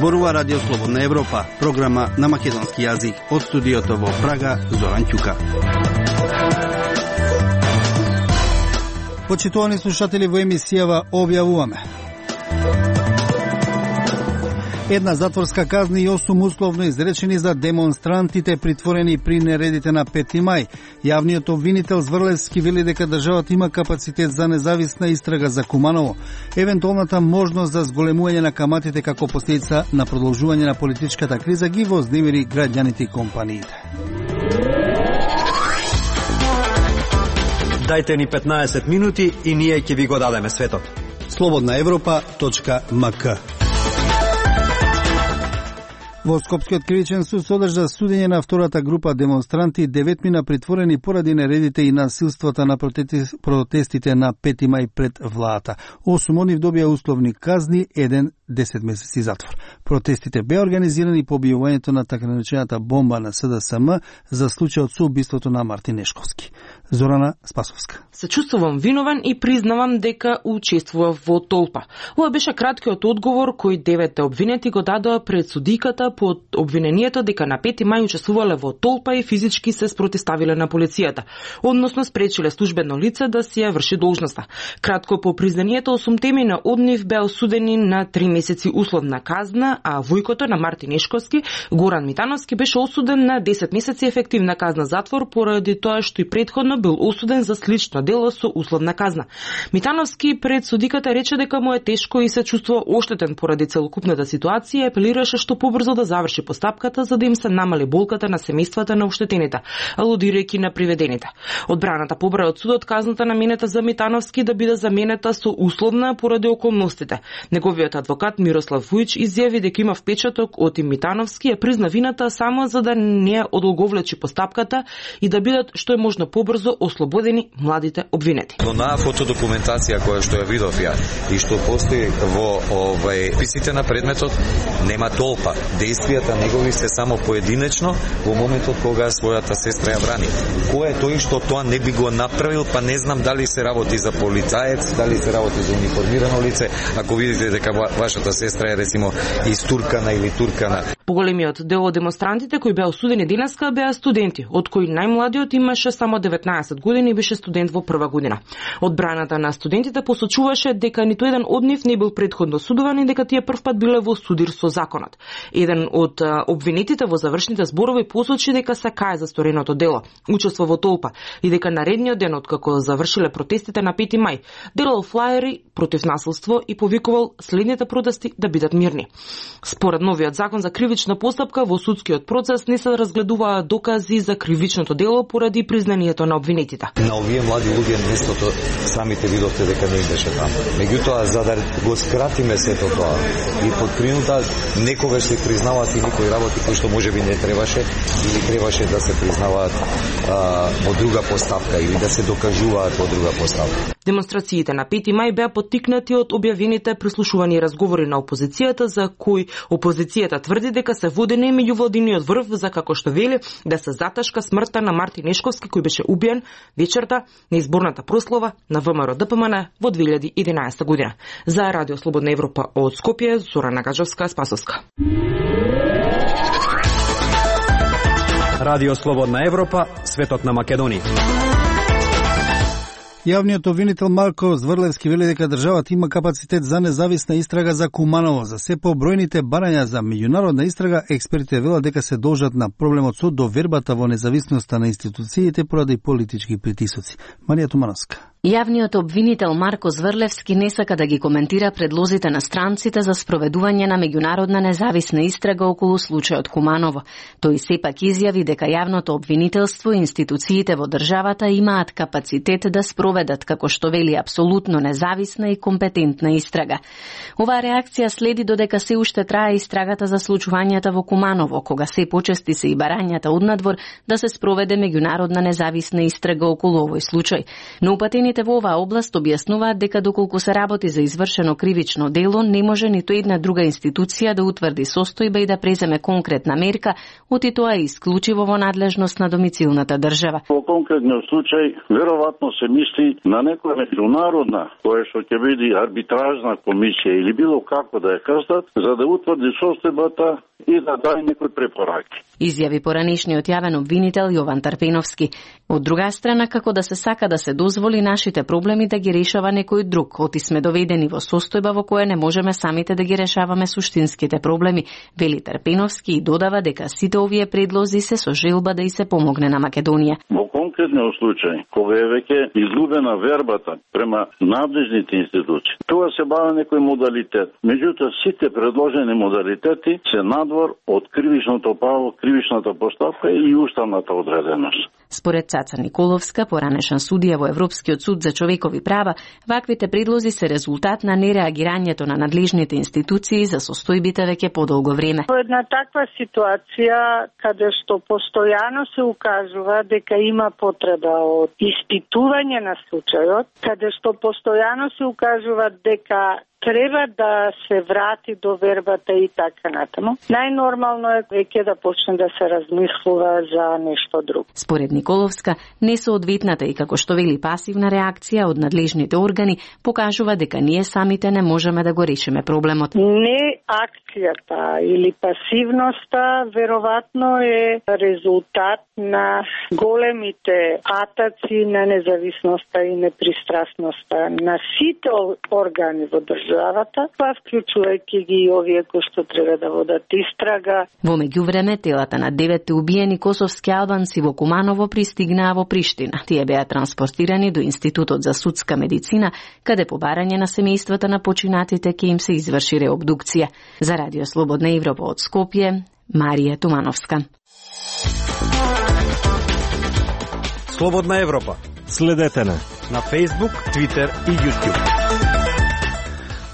Зборува Радио Слободна Европа, програма на македонски јазик. Од студиото во Прага, Зоран Ќука. Почитувани слушатели, во емисијава објавуваме: една затворска казна и 8 условно изречени за демонстрантите притворени при нередите на 5 мај. Јавниот обвинител Зврлевски вели дека државата има капацитет за независна истрага за Куманово. Евентуалната можност за зголемување на каматите како последица на продолжување на политичката криза ги вознемири граѓаните и компаниите. Дајте ни 15 минути и ние ќе ви го дадеме светот. slobodnaevropa.mk. Во Скопскиот кривичен суд содржа судење на втората група демонстранти, 9 мина притворени поради нередите и насилствата на протестите на 5 мај пред владата. 8 од нив добија условни казни, 1 10 месеци затвор. Протестите беа организирани по објавувањето на така наречената бомба на СДСМ за случајот со убиството на Мартин Нешковски. Зорана Спасовска. Се чувствувам виновен и признавам дека учествував во толпа. Ова беше краткиот одговор кој 9 обвинети го дадоа пред судиката по обвинението дека на 5 мај учествувале во толпа и физички се спротиставиле на полицијата, односно спречиле службено лице да си ја врши должноста. Кратко по признанието, 8 темина од нив беа осудени на 3 месеци условна казна, а војкото на Мартин Нешковски, Горан Митановски, беше осуден на 10 месеци ефективна казна затвор поради тоа што и претходно бил осуден за слично дело со условна казна. Митановски пред судиката рече дека му е тешко и се чувствува оштетен поради целокупната ситуација и апелираше што побрзо да заврши постапката за да им се намали болката на семејствата на оштетените, алудирајќи на приведените. Одбраната побра од судот казната наменета за Митановски да биде заменета со условна поради околностите. Неговиот адвокат Мирослав Вујич изјави дека има впечаток од Митановски, ја призна вината само за да не одолговлечи постапката и да бидат што е можно побрзо ослободени младите обвинети. Но на фотодокументација која што ја видов ја и што постои во писите на предметот, нема толпа. Действијата негови се само поединечно во моментот кога својата сестра ја брани. Кој е тој што тоа не би го направил, па не знам дали се работи за полицаец, дали се работи за униформирано лице, ако видите дека вашата сестра е речимо истуркана или туркана. Поголемиот дел од демонстрантите кои беа осудени денеска беа студенти, од кои најмладиот имаше само 19 години и беше студент во прва година. Одбраната на студентите посочуваше дека ниту еден од нив не бил претходно судуван и дека тие првпат биле во судир со законот. Еден од обвинетите во завршните зборови посочи дека се кае за стореното дело, учество во толпа и дека наредниот ден откако завршиле протестите на 5 мај, делал флаери против насилство и повикувал следните протести да бидат мирни. Според новиот закон за кривична постапка во судскиот процес не се разгледуваа докази за кривичното дело поради признанието на обвинетите. На овие млади луѓе местото самите видовте дека не им беше таму. Меѓутоа, за да го скратиме сето тоа и под принуда некогаш се признаваат и некои работи кои што можеби не требаше или требаше да се признаваат во друга постапка или да се докажуваат во друга постапка. Демонстрациите на 5 мај беа поттикнати од објавените прислушувани разговори на опозицијата за кои опозицијата тврди дека се водени меѓувладиниот врв за, како што вели, да се заташка смртта на Мартин Нешковски кој беше убиен вечерта на изборната прослава на ВМРО ДПМН во 2011 година. За Радио Слободна Европа од Скопје, Зорана Спасовска. Радио Слободна Европа, светот на Македонија. Јавниот обвинител Марко Зврлевски вели дека државата има капацитет за независна истрага за Куманово. За се побројните барања за меѓународна истрага, експертите велат дека се должат на проблемот со довербата во независноста на институциите поради политички притисоци. Марија Тумановска. Јавниот обвинител Марко Зврлевски не сака да ги коментира предлозите на странците за спроведување на меѓународна независна истрага околу случајот Куманово. Тој сепак изјави дека јавното обвинителство и институциите во државата имаат капацитет да спроведат, како што вели, апсолутно независна и компетентна истрага. Оваа реакција следи додека се уште трае истрагата за случувањата во Куманово, кога се почести се и барањата однадвор да се спроведе меѓународна независна истрага околу овој случај. Но упатените Експертите во оваа област објаснуваат дека доколку се работи за извршено кривично дело, не може ниту една друга институција да утврди состојба и да преземе конкретна мерка, оти тоа е исклучиво во надлежност на домицилната држава. Во конкретниот случај, веројатно се мисли на некоја меѓународна, која што ќе биде арбитражна комисија или било како да ја кажат, за да утврди состојбата и да даде некои препораки. Изјави поранишниот јавен обвинител Јован Тарпеновски. Од друга страна, како да се сака да се дозволи нашите проблеми да ги решава некој друг, оти сме доведени во состојба во која не можеме самите да ги решаваме суштинските проблеми, вели Тарпеновски и додава дека сите овие предлози се со желба да и се помогне на Македонија. Во конкретниот случај, кога е веќе изгубена вербата према надлежните институции, тоа се бава некој модалитет. Меѓутоа, сите предложени модалитети се надвор од кривичното право, кривичната постапка или уставната одреденост. Според Цаца Николовска, поранешен судија во Европскиот суд за човекови права, ваквите предлози се резултат на нереагирањето на надлежните институции за состојбите веќе подолго време. Во една таква ситуација, каде што постојано се укажува дека има потреба од испитување на случајот, каде што постојано се укажува дека треба да се врати до вербата и така натаму, најнормално е веќе да почне да се размислува за нешто друго. Според Николовска, несоодветната и како што вели пасивна реакција од надлежните органи покажува дека ние самите не можеме да го решиме проблемот. Не акцијата или пасивноста веројатно е резултат на големите атаци на независноста и непристрасноста на сите органи во државата, па вклучувајќи ги и овие кои што треба да водат истрага. Во меѓувреме, телата на 9 убиени косовски албанци во Куманово пристигнаа во Приштина. Тие беа транспортирани до Институтот за судска медицина, каде по барање на семејствата на починатите ќе им се изврши реобдукција. За Радио Слободна Европа од Скопје, Марија Тумановска. Слободна Европа. Следете на Facebook, Twitter и YouTube.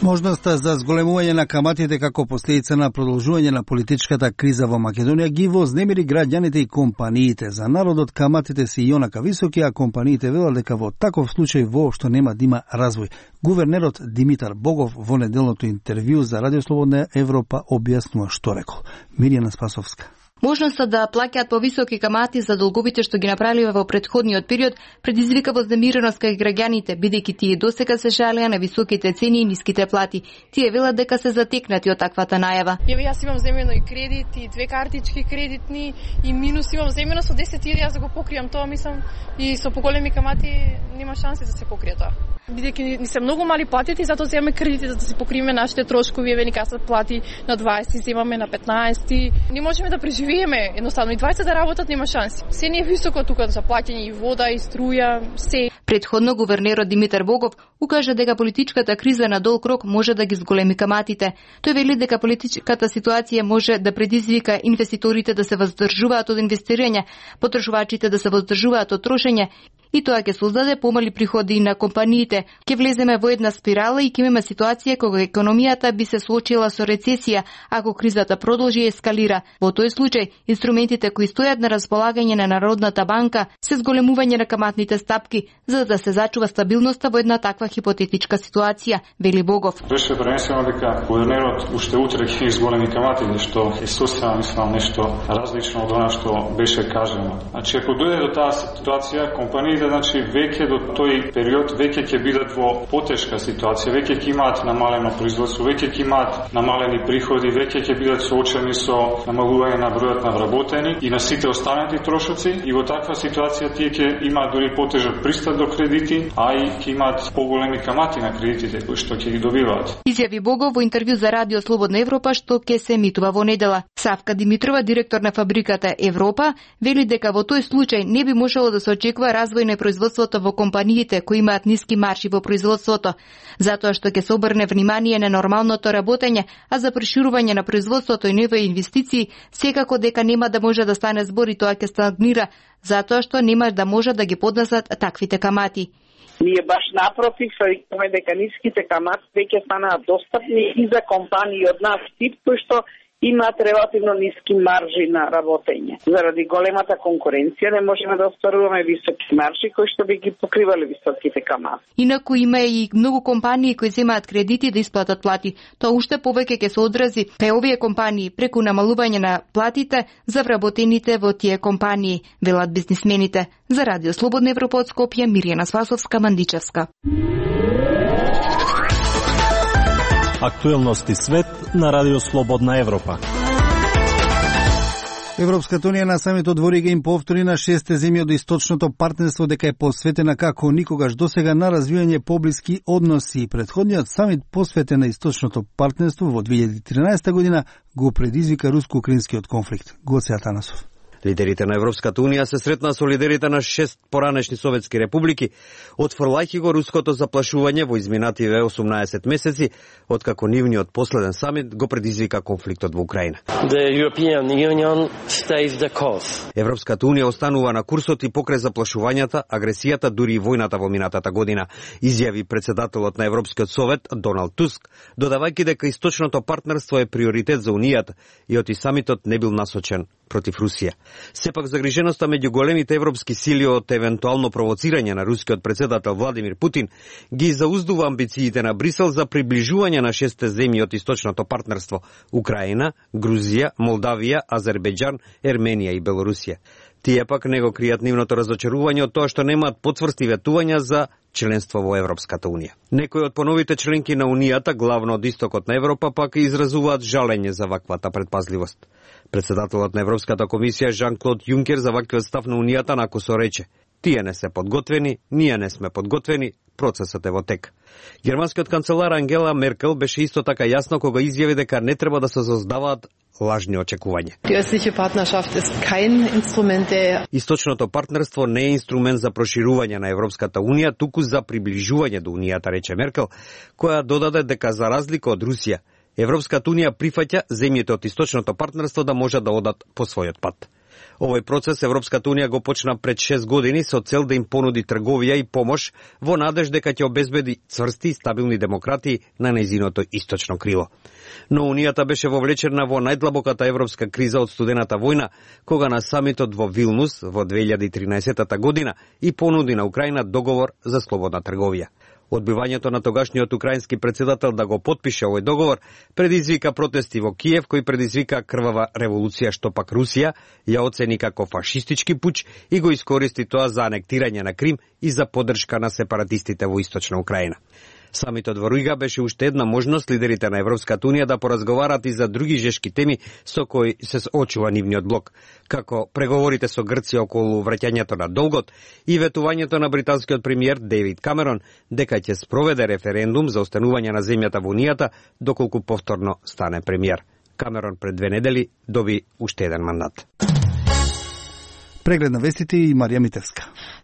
Можноста за зголемување на каматите како последица на продолжување на политичката криза во Македонија ги вознемири граѓаните и компаниите. За народот каматите се јонака високи, а компаниите велат дека во таков случај воопшто нема да има развој. Гувернерот Димитар Богов во неделното интервју за Радио Слободна Европа објаснува што рекол. Мирјана Спасовска. Можноста да плаќаат повисоки камати за долговите што ги направиле во претходниот период предизвика вознемиреност кај граѓаните, бидејќи тие досега се жалеа на високите цени и ниските плати. Тие велат дека се затекнати од таквата најава. Јас имам земено и кредит, и 2 картички кредитни, и минус имам земено со 10.000, јас да го покријам тоа, мислам, и со поголеми камати нема шанси да се покрие тоа. Бидејќи ни се многу мали платите и затоа земаме кредити за да се покриеме нашите трошкови, еве ни касат плати на 20, земаме на 15. Не можеме да преживееме, едноставно и 20 да работат нема шанси. Се не е високо тука за плаќање и вода и струја, се. Предходно гувернерот Димитар Богов укажа дека политичката криза на долг рок може да ги зголеми каматите. Тој вели дека политичката ситуација може да предизвика инвеститорите да се воздржуваат од инвестирање, потрошувачите да се воздржуваат од трошење, и тоа ќе создаде помали приходи на компаниите. Ќе влеземе во една спирала и ќе имаме ситуација кога економијата би се соочила со рецесија ако кризата продолжи и ескалира. Во тој случај, инструментите кои стојат на располагање на Народната банка се зголемување на каматните стапки, за да се зачува стабилноста во една таква хипотетичка ситуација, вели Богов. Беше пренесено дека гувернерот уште утре ќе изголеми камати, што е сосема, мислам, нешто различно од она што беше кажано. Значи, ако дојде до таа ситуација, компаниите, значи, веќе до тој период веќе ќе бидат во потешка ситуација, веќе ќе имаат намалено производство, веќе ќе имаат намалени приходи, веќе ќе бидат соочени со намалување на бројот на вработени и на сите останати трошоци, и во таква ситуација тие ќе имаат дури потежок пристап до кредити, а и ќе имаат поголеми камати на кредитите кои што ќе ги добиваат. Изјави Богов во интервју за Радио Слободна Европа што ќе се емитува во недела. Савка Димитрова, директор на фабриката Европа, вели дека во тој случај не би можело да се очекува развој на производството во компаниите кои имаат ниски маржи во производството, затоа што ќе се обрне внимание на нормалното работење, а за проширување на производството и нови инвестиции секако дека нема да може да стане збор и тоа ќе стагнира, затоа што нема да може да ги поднесат таквите камати. Ние баш напротив, викаме дека ниските камати веќе станаат достапни и за компании од наш тип, кои што имаат релативно ниски маржи на работење. Заради големата конкуренција не можеме да остваруваме високи маржи кои што би ги покривале високите камати. Инаку има и многу компании кои земаат кредити да исплатат плати. Тоа уште повеќе ќе се одрази кај овие компании преку намалување на платите за вработените во тие компании, велат бизнисмените. За Радио Слободна Европа од Скопје, Мирјана Спасовска, Мандичевска. Актуелности свет на Радио Слободна Европа. Европската унија на самитот во Рига им повтори на 6 земји од источното партнерство дека е посветена како никогаш досега на развијање поблиски односи. Претходниот самит посветен на источното партнерство во 2013 година го предизвика руско-украинскиот конфликт. Гоце Атанасов. Лидерите на Европската унија се сретнаа со лидерите на 6 поранешни советски републики, отфрлајќи го руското заплашување во изминативе 18 месеци, откако нивниот последен самит го предизвика конфликтот во Украина. Европската унија останува на курсот и покрај заплашувањата, агресијата, дури и војната во минатата година, изјави председателот на Европскиот совет Доналд Туск, додавајќи дека источното партнерство е приоритет за унијата и оти самитот не бил насочен против Русија. Сепак загриженоста меѓу големите европски сили од евентуално провоцирање на рускиот председател Владимир Путин ги зауздува амбициите на Брисел за приближување на 6 земји од источното партнерство: Украина, Грузија, Молдавија, Азербејџан, Ерменија и Белорусија. Тие пак не го кријат нивното разочарување од тоа што немаат потврсти ветувања за членство во Европската унија. Некои од поновите членки на унијата, главно од истокот на Европа, пак изразуваат жалење за ваквата предпазливост. Председателот на Европската комисија Жан-Клод Јункер за ваквиот став на унијата накусо рече: "Тие не се подготвени, ние не сме подготвени, процесот е во тек." Германскиот канцелар Ангела Меркел беше исто така јасно кога изјави дека не треба да се создаваат лажни очекувања. Источното партнерство не е инструмент за проширување на Европската унија, туку за приближување до унијата, рече Меркел, која додаде дека за разлика од Русија, Европската унија прифаќа земјите од источното партнерство да можат да одат по својот пат. Овој процес Европската унија го почна пред 6 години со цел да им понуди трговија и помош во надеж дека ќе обезбеди цврсти и стабилни демократии на нејзиното источно крило. Но унијата беше вовлечена во најдлабоката европска криза од студената војна, кога на самитот во Вилнус во 2013 година и понуди на Украина договор за слободна трговија. Одбивањето на тогашниот украински председател да го потпише овој договор предизвика протести во Киев, кој предизвика крвава револуција, што пак Русија ја оцени како фашистички пуч и го искористи тоа за анектирање на Крим и за поддршка на сепаратистите во источна Украина. Самитот во Рига беше уште една можност лидерите на Европската унија да поразговарат и за други жешки теми со кои се соочува нивниот блок, како преговорите со Грција околу враќањето на долгот и ветувањето на британскиот премиер Дејвид Камерон дека ќе спроведе референдум за останување на земјата во унијата доколку повторно стане премиер. Камерон пред 2 недели доби уште еден мандат. Преглед на вестите и Марија Митевска.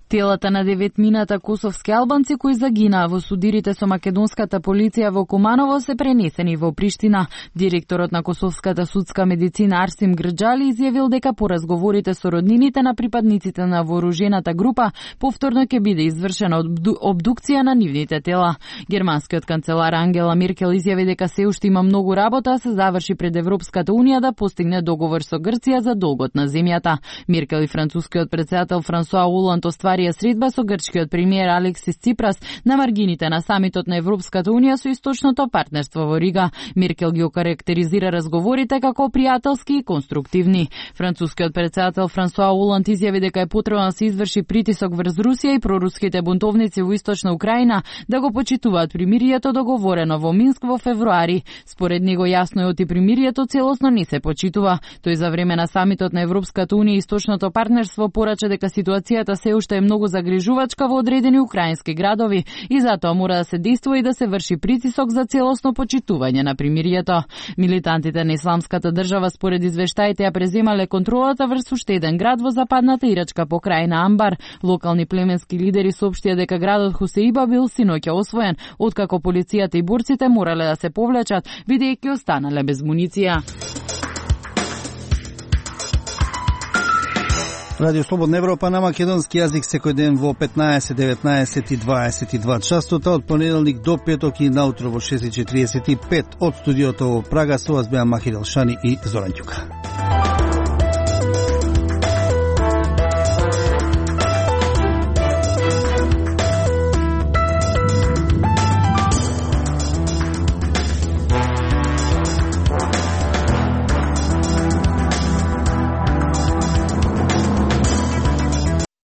Телата на 9 косовски албанци кои загинаа во судирите со македонската полиција во Куманово се пренесени во Приштина. Директорот на Косовската судска медицина Арсим Грџали изјавил дека по разговорите со роднините на припадниците на вооружената група повторно ќе биде извршена обдукција на нивните тела. Германскиот канцелар Ангела Меркел изјави дека се уште има многу работа да се заврши пред Европската унија да постигне договор со Грција за долгот на земјата. Меркел и францускиот председател Франсуа Оланд остварија средба со грчкиот премиер Алексис Ципрас на маргините на самитот на Европската унија со источното партнерство во Рига. Меркел ги окарактеризира разговорите како пријателски и конструктивни. Францускиот председател Франсуа Оланд изјави дека е потребно да се изврши притисок врз Русија и проруските бунтовници во источна Украина да го почитуваат примирието договорено во Минск во февруари. Според него јасно е оти примирието целосно не се почитува. Тој за време на самитот на Европската унија и источното партнерство порача дека ситуацијата се уште е многу загрижувачка во одредени украински градови и затоа мора да се действува и да се врши притисок за целосно почитување на примирието. Милитантите на Исламската држава според извештаите ја преземале контролата врз уште еден град во западната ирачка покрајна Амбар. Локални племенски лидери соопштија дека градот Хусеиба бил синоќа освоен, откако полицијата и борците морале да се повлечат, бидејќи останале без муниција. Радио Слободна Европа на македонски јазик секој ден во 15, 19 и 22 часота од понеделник до петок и наутро во 6:45 од студиото во Прага. Со вас беа Махир Елшани и Зоран Ѓука.